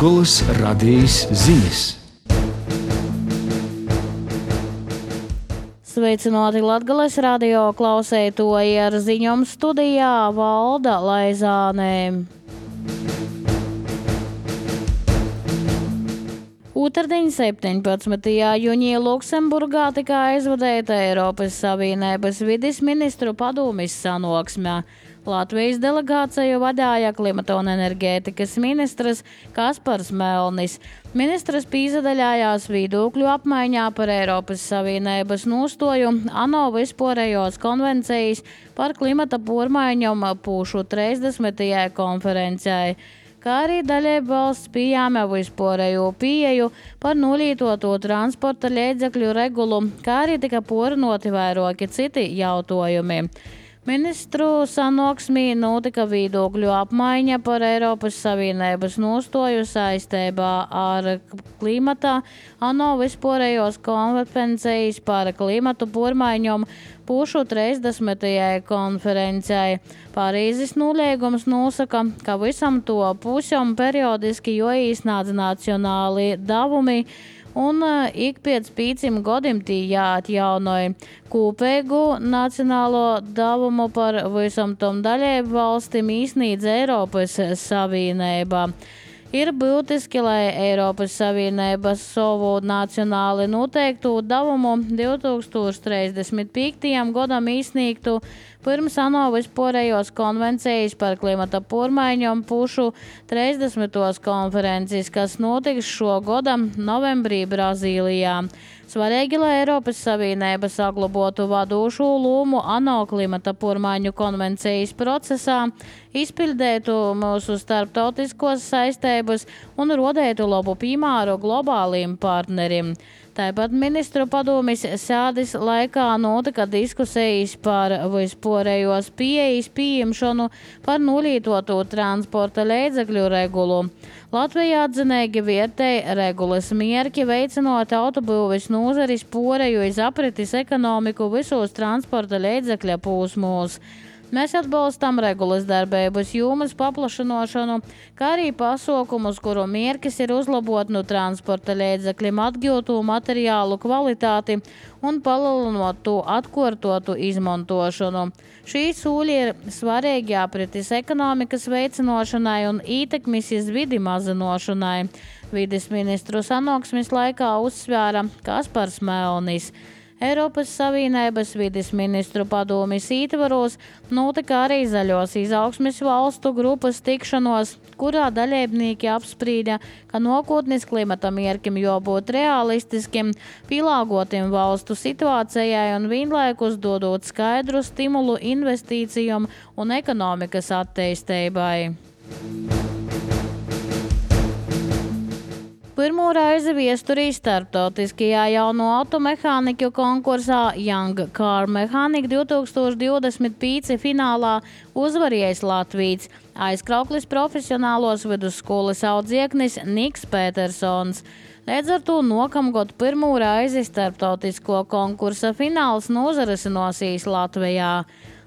Latgolas radijas ziņas. Sveicināti Latgales radio klausētoji, ar ziņām studijā Valda Laizānē. Otrdien 17. jūnijā Luksemburgā tika aizvadīta Eiropas Savienības vides ministru padomes sanāksme. Latvijas delegāciju vadīja klimata un enerģētikas ministrs Kaspars Melnis. Ministrs pīsadaļājās viedokļu apmaiņā par Eiropas Savienības nostāju ANO vispārējos konvencijas par klimata pārmaiņām pušu 30. konferencē, kā arī dalību valsts pieņēma vispārējo pieeju par nolietoto transporta līdzekļu regulu, kā arī tika pārunāti vairāki citi jautājumi. Ministru sanāksmē notika viedokļu apmaiņa par Eiropas Savienības nostāju saistībā ar klimata ANO vispārējos konvencijas par klimatu pārmaiņām pušu 30. konferencē. Parīzes nolīgums nosaka, ka visam to pusēm periodiski jāīsnādz nacionāli devumi un ik pēc 5 gadiem tie jāatjaunoja. Kopīgu nacionālo devumu par visam tom dalību valstīm īsnīdz Eiropas Savienība. Ir būtiski, lai Eiropas Savienība savu nacionāli noteiktu devumu 2035. gadam īsnīgtu pirms ANO vispārējos konvencijas par klimata pārmaiņām pušu 30. konferences, kas notiks šo gada novembrī Brazīlijā. Svarīgi, lai Eiropas Savienība saglabātu vadošo lomu ANO klimata pārmaiņu konvencijas procesā, izpildētu mūsu starptautiskos saistības un rodētu labu piemēru globāliem partneriem. Tāpat ministru padomes sēdes laikā notika diskusijas par vispārējos pieejas pieņemšanu par nolietoto transporta līdzekļu regulu. Latvijā atzinīgi vērtēja regulas mērķi veicinot autobūves nozares pāreju uz aprites ekonomiku visos transporta līdzekļa posmos. Mēs atbalstam regulas darbības jomas paplašināšanu, kā arī pasākumus, kuru mērķis ir uzlabot no transporta līdzekļiem atgūtu materiālu kvalitāti un palielinot to atkārtotu izmantošanu. Šī soļi ir svarīgi aprites ekonomikas veicināšanai un ietekmes uz vidi mazināšanai. Vides ministru sanāksmes laikā uzsvēra Kaspars Melnis. Eiropas Savienības vides ministru padomes ietvaros notika arī zaļos izaugsmes valstu grupas tikšanos, kurā dalībnieki apsprīda, ka nākotnes klimata mērķim jābūt realistiskiem, pielāgotiem valstu situācijai un vienlaikus dodot skaidru stimulu investīcijām un ekonomikas attīstībai. Pirmo reizi viesturī starptautiskajā jauno automehāniku konkursā Young Car Mechanic 2025 finālā uzvarējis Latvijas aizkrauklis profesionālos vidusskolas audzieknis Niks Petersons. Līdz ar to nākamgad pirmo reizi starptautisko konkursa fināls norisinosies Latvijā.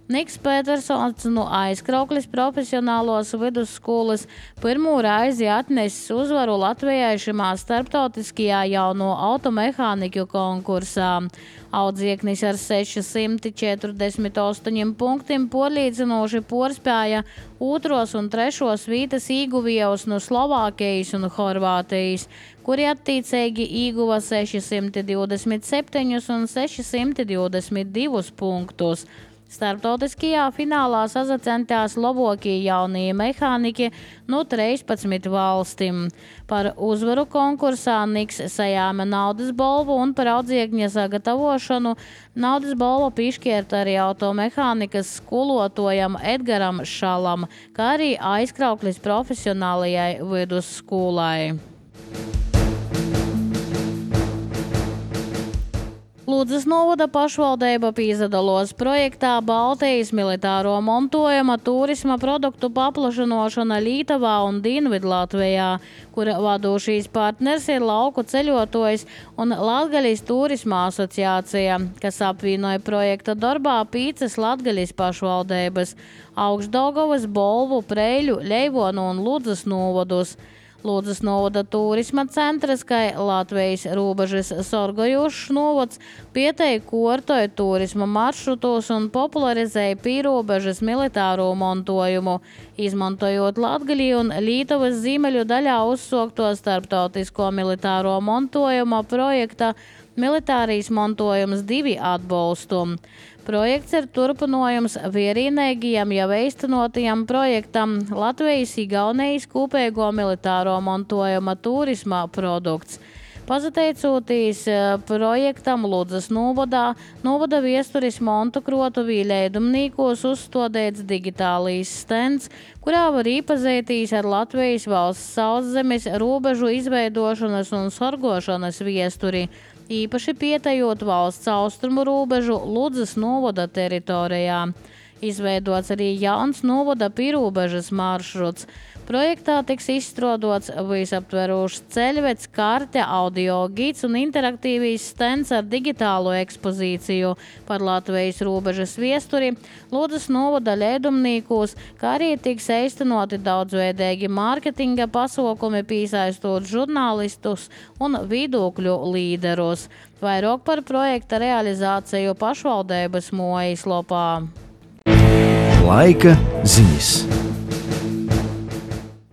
Niks Petersons no aizkrauklis profesionālos vidusskolas pirmo reizi atnesis uzvaru Latvijai šimā starptautiskajā jauno automehāniku konkursā. Audzieknis ar 648 punktiem porlīdzinoši porspēja otros un trešos vītas īguvējus no Slovākijas un Horvātijas, kuri attiecīgi ieguva 627 un 622 punktus. Starptautiskajā finālā sasacentās labākie jaunie mehāniķi no 13 valstīm. Par uzvaru konkursā Niks sajāma naudas balvu un par audziekņa sagatavošanu naudas balvu piešķirta arī automehānikas skolotājam Edgaram Šalam, kā arī aizkrauklis profesionālajai vidusskolai. Ludzas novada pašvaldība piedalās projektā Baltijas militāro montojuma turisma produktu paplašināšana Lietuvā un Dienvidlatvijā, kura vadošais partners ir lauku ceļotājs un Latgaļas turisma asociācija, kas apvienoja projekta darbā 5 Latgaļas pašvaldības – Augšdaugavas, Bolvu, Preiļu, Ļeivonu un Ludzas novadus. Ludzas novada turisma centrs, kā Latvijas robežas sorgojošs novads, pieteja kortoja turisma maršrutos un popularizēja pīrobežas militāro montojumu, izmantojot Latgaļu un Lītuvas ziemeļu daļā uzsokto starptautisko militāro montojuma projekta Militārijas montojums 2 atbalstu. Projekts ir turpinājums vienīgajam jau īstenotajam projektam Latvijas-Igaunijas kopējo militāro montojuma turisma produkts. Pateicoties projektam Ludzas novada viesturis montu krotuvī leidumnīkos uzstādīts digitālīs stends, kurā var iepazīties ar Latvijas valsts sauszemes robežu izveidošanas un sorgošanas viesturi, īpaši pietejot valsts austrumu robežu Ludzas novada teritorijā. Izveidots arī jauns novada pīrobežas maršruts. Projektā tiks izstrādāts visaptverošs ceļvedis, karte, audio gids un interaktīvīs stends ar digitālo ekspozīciju par Latvijas robežas viesturi Ludzas novada leidumnīkos, kā arī tiks īstenoti daudzveidīgi mārketinga pasākumi, piesaistot žurnālistus un viedokļu līderus. Vairāk par projekta realizāciju pašvaldības mājaslapā. Laika ziņas.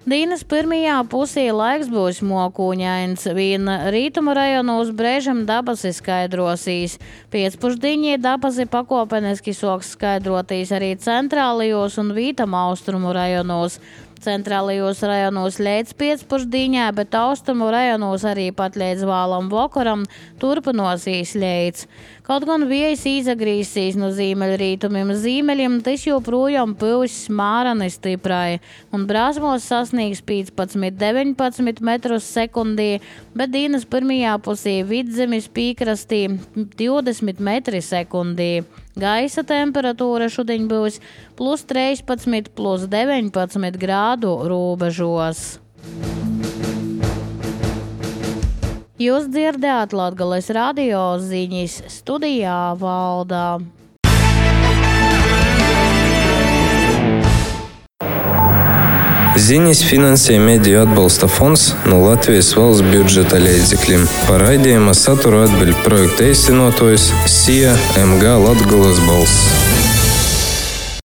Dienas pirmajā pusē laiks būs mokūņains, vien rītuma rajonos brēžam dabasi skaidrosīs. Pēcpusdienī dabasi pakopeniski soks skaidrotīs arī centrālajos un vītam austrumu rajonos. Centrālajos rajonos līdz pēcpusdienā, bet austrumu rajonos arī pat līdz vālam vakaram turpinosies līdz. Kaut gan vējs izagrīsīs no ziemeļrītumiem ziemeļiem, tas joprojām pūs smārani stiprai un brāzmos sasniegs 15–19 metrus sekundī, bet dienas pirmajā pusē vidzemes pīkrastī 20 metri sekundī. Gaisa temperatūra šodien būs +13, +19 grādu robežos. Jūs dzirdējāt Latgales radio ziņas, studijā Valdā. Ziņas finansē Mediju atbalsta fonds no Latvijas valsts budžeta līdzekļiem. Par raidījuma saturu atbild projekta īstenotājs SIA MG Latgales balss.